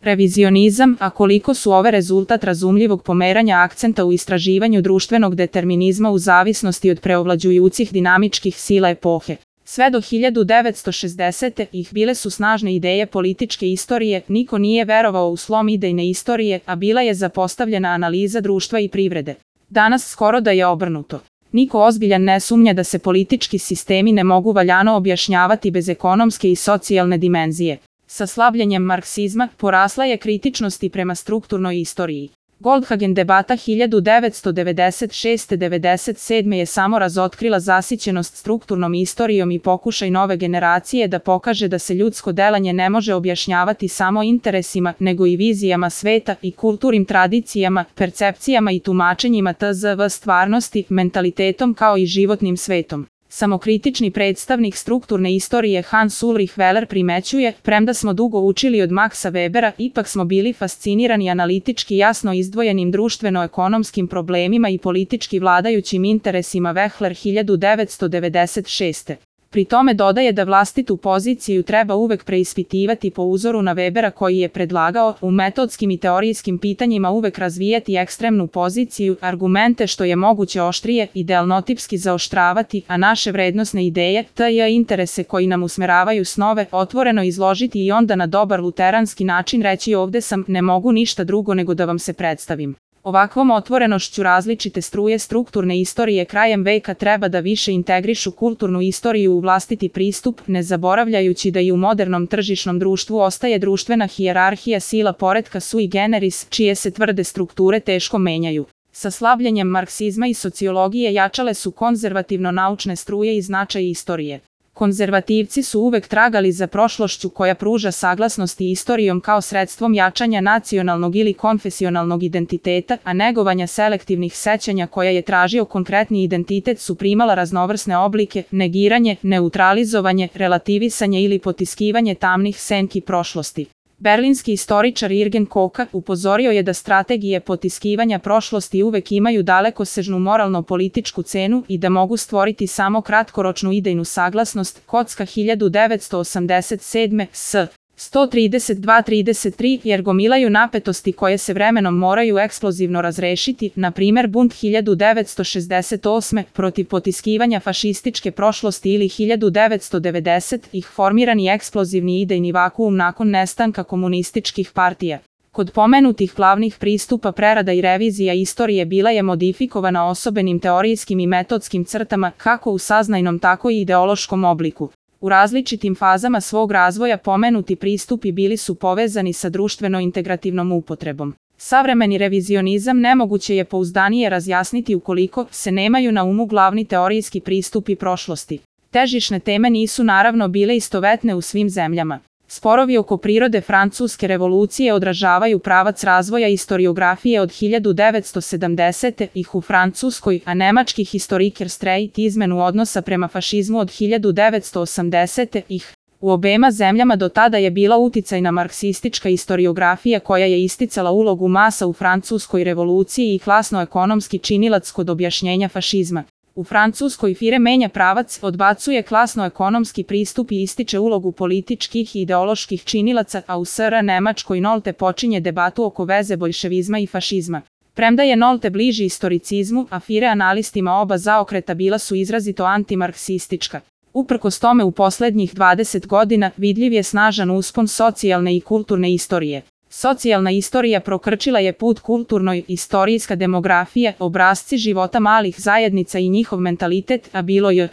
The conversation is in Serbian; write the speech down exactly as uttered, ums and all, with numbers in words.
Revizionizam, a koliko su ove rezultat razumljivog pomeranja akcenta u istraživanju društvenog determinizma u zavisnosti od preovlađujućih dinamičkih sila epohe. Sve do hiljadu devetsto šezdesete ih bile su snažne ideje političke istorije, niko nije verovao u slom idejne istorije, a bila je zapostavljena analiza društva i privrede. Danas skoro da je obrnuto. Niko ozbiljan ne sumnja da se politički sistemi ne mogu valjano objašnjavati bez ekonomske i socijalne dimenzije. Sa slabljenjem marksizma porasla je kritičnost i prema strukturnoj istoriji. Goldhagen debata hiljadu devetsto devedeset šeste do devedeset sedme je samo razotkrila zasićenost strukturnom istorijom i pokušaj nove generacije da pokaže da se ljudsko delanje ne može objašnjavati samo interesima, nego i vizijama sveta i kulturnim tradicijama, percepcijama i tumačenjima tzv. Stvarnosti, mentalitetom kao i životnim svetom. Samokritični predstavnik strukturne istorije Hans Ulrich Weller primećuje, premda smo dugo učili od Maxa Webera, ipak smo bili fascinirani analitički jasno izdvojenim društveno-ekonomskim problemima i politički vladajućim interesima. Wechsler hiljadu devetsto devedeset šeste. Pri tome dodaje da vlastitu poziciju treba uvek preispitivati po uzoru na Webera koji je predlagao u metodskim i teorijskim pitanjima uvek razvijati ekstremnu poziciju, argumente što je moguće oštrije, idealnotipski zaoštravati, a naše vrednosne ideje, tj. interese koji nam usmeravaju snove, otvoreno izložiti i onda na dobar luteranski način reći ovde sam, ne mogu ništa drugo nego da vam se predstavim. Ovakvom otvorenošću različite struje strukturne istorije krajem veka treba da više integrišu kulturnu istoriju u vlastiti pristup, ne zaboravljajući da i u modernom tržišnom društvu ostaje društvena hijerarhija sila poretka sui generis, čije se tvrde strukture teško menjaju. Sa slabljenjem marksizma i sociologije jačale su konzervativno-naučne struje i značaj istorije. Konzervativci su uvek tragali za prošlošću koja pruža saglasnost i istorijom kao sredstvom jačanja nacionalnog ili konfesionalnog identiteta, a negovanja selektivnih sećanja koja je tražio konkretni identitet su primala raznovrsne oblike, negiranje, neutralizovanje, relativisanje ili potiskivanje tamnih senki prošlosti. Berlinski istoričar Jürgen Koka upozorio je da strategije potiskivanja prošlosti uvek imaju dalekosežnu moralno-političku cenu i da mogu stvoriti samo kratkoročnu idejnu saglasnost. Kocka hiljadu devetsto osamdeset sedme. S. sto trideset dva trideset tri jer gomilaju napetosti koje se vremenom moraju eksplozivno razrešiti, na primer bunt hiljadu devetsto šezdeset osme protiv potiskivanja fašističke prošlosti ili hiljadu devetsto devedeset ih formirani eksplozivni idejni vakuum nakon nestanka komunističkih partija. Kod pomenutih glavnih pristupa prerada i revizija istorije bila je modifikovana osobenim teorijskim i metodskim crtama kako u saznajnom tako i ideološkom obliku. U različitim fazama svog razvoja pomenuti pristupi bili su povezani sa društveno-integrativnom upotrebom. Savremeni revizionizam nemoguće je pouzdanije razjasniti ukoliko se nemaju na umu glavni teorijski pristupi prošlosti. Težišne teme nisu naravno bile istovetne u svim zemljama. Sporovi oko prirode Francuske revolucije odražavaju pravac razvoja istoriografije od hiljadu devetsto sedamdesete ih u Francuskoj, a nemački historiker Streit izmenu odnosa prema fašizmu od hiljadu devetsto osamdesete ih. U obema zemljama do tada je bila uticajna marksistička istoriografija koja je isticala ulogu masa u Francuskoj revoluciji i klasno-ekonomski činilac kod objašnjenja fašizma. U Francuskoj Fire menja pravac, odbacuje klasno-ekonomski pristup i ističe ulogu političkih i ideoloških činilaca, a u S R Nemačkoj Nolte počinje debatu oko veze boljševizma i fašizma. Premda je Nolte bliži istoricizmu, a Fire analistima oba zaokreta bila su izrazito antimarksistička. Uprkos tome u poslednjih dvadeset godina vidljiv je snažan uspon socijalne i kulturne istorije. Socijalna istorija prokrčila je put kulturnoj, istorijska demografija, obrasci života malih zajednica i njihov mentalitet, a bilo je